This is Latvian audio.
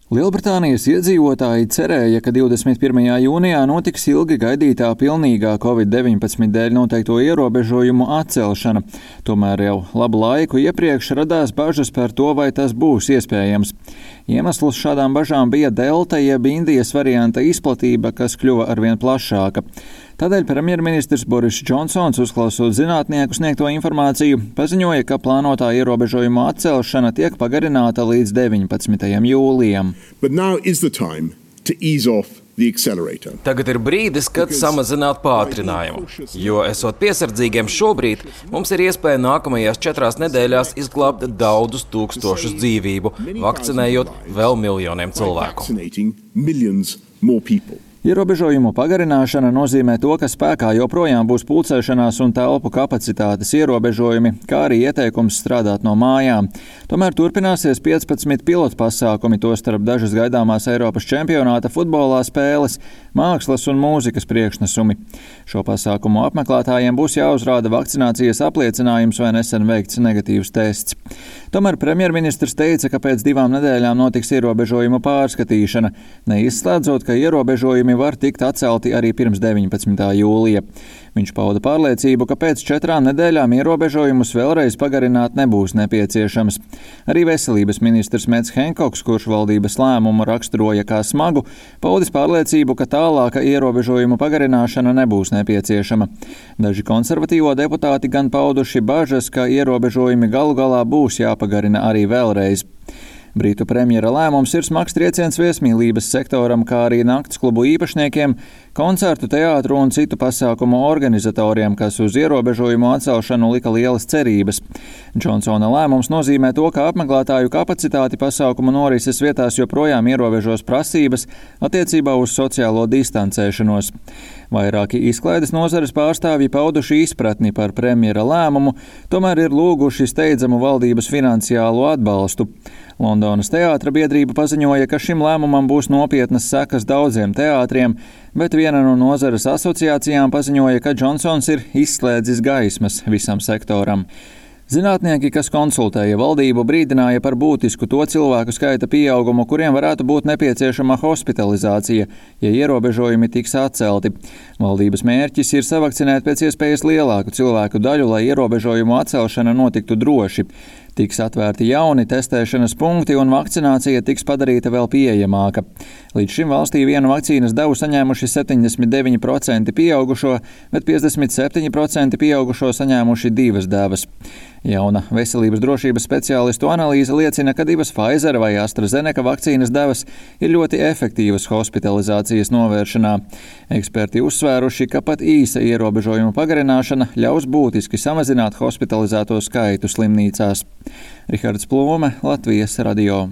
Lielbritānijas iedzīvotāji cerēja, ka 21. jūnijā notiks ilgi gaidītā pilnīgā Covid-19 dēļ noteikto ierobežojumu atcelšana. Tomēr jau labu laiku iepriekš radās bažas par to, vai tas būs iespējams. Iemesls šādām bažām bija delta jeb Indijas varianta izplatība, kas kļuva arvien plašāka. Tādēļ premjerministrs Boris Džonsons, uzklausot zinātnieku sniegto informāciju, paziņoja, ka plānotā ierobežojuma atcelšana tiek pagarināta līdz 19. jūlijam. Tagad ir brīdis, kad samazināt pātrinājumu, jo, esot piesardzīgiem šobrīd, mums ir iespēja nākamajās 4 nedēļās izglābt daudzus tūkstošus dzīvību, vakcinējot vēl miljoniem cilvēku. Ierobežojumu pagarināšana nozīmē to, ka spēkā joprojām būs pulcēšanās un telpu kapacitātes ierobežojumi, kā arī ieteikums strādāt no mājām. Tomēr turpināsies 15 pilotu pasākumi, tostarp dažas gaidāmās Eiropas čempionāta futbolā spēles, mākslas un mūzikas priekšnesumi. Šo pasākumu apmeklētājiem būs jāuzrāda vakcinācijas apliecinājums vai nesen veikts negatīvs tests. Tomēr premjerministrs teica, ka pēc 2 nedēļām notiks ierobežojumu pārskatīšana, neizslēdzot, ka ierobežojumi var tikt atcelti arī pirms 19. jūlija. Viņš pauda pārliecību, ka pēc 4 nedēļām ierobežojumus vēlreiz pagarināt nebūs nepieciešams. Arī veselības ministrs Mets Henkoks, kurš valdības lēmumu raksturoja kā smagu, paudis pārliecību, ka tālāka ierobežojumu pagarināšana nebūs nepieciešama. Daži konservatīvo deputāti gan pauduši bažas, ka ierobežojumi galu galā būs jāpagarina arī vēlreiz. Britu premjera lēmums ir smags trieciens viesmīlības sektoram, kā arī nakts klubu īpašniekiem, koncertu, teātru un citu pasākumu organizatoriem, kas uz ierobežojumu atcelšanu lika lielas cerības. Džonsona lēmums nozīmē to, ka apmeklētāju kapacitāti pasākumu norises vietās joprojām ierobežos prasības attiecībā uz sociālo distancēšanos. Vairāki izklaides nozares pārstāvji pauduši izpratni par premjera lēmumu, tomēr ir lūguši steidzamu valdības finansiālo atbalstu. Londonas teātra biedrība paziņoja, ka šim lēmumam būs nopietnas sekas daudziem teātriem, bet viena no nozares asociācijām paziņoja, ka Džonsons ir izslēdzis gaismas visam sektoram. Zinātnieki, kas konsultēja valdību, brīdināja par būtisku to cilvēku skaita pieaugumu, kuriem varētu būt nepieciešama hospitalizācija, ja ierobežojumi tiks atcelti. Valdības mērķis ir savakcinēt pēc iespējas lielāku cilvēku daļu, lai ierobežojumu atcelšana notiktu droši. Tiks atvērti jauni testēšanas punkti un vakcinācija tiks padarīta vēl pieejamāka. Līdz šim valstī vienu vakcīnas devu saņēmuši 79% pieaugušo, bet 57% pieaugušo saņēmuši 2 devas. Jauna veselības drošības speciālistu analīze liecina, ka 2 Pfizer vai AstraZeneca vakcīnas devas ir ļoti efektīvas hospitalizācijas novēršanā. Eksperti uzsvēruši, ka pat īsa ierobežojuma pagarināšana ļaus būtiski samazināt hospitalizēto skaitu slimnīcās. Rihards Plūme, Latvijas radio.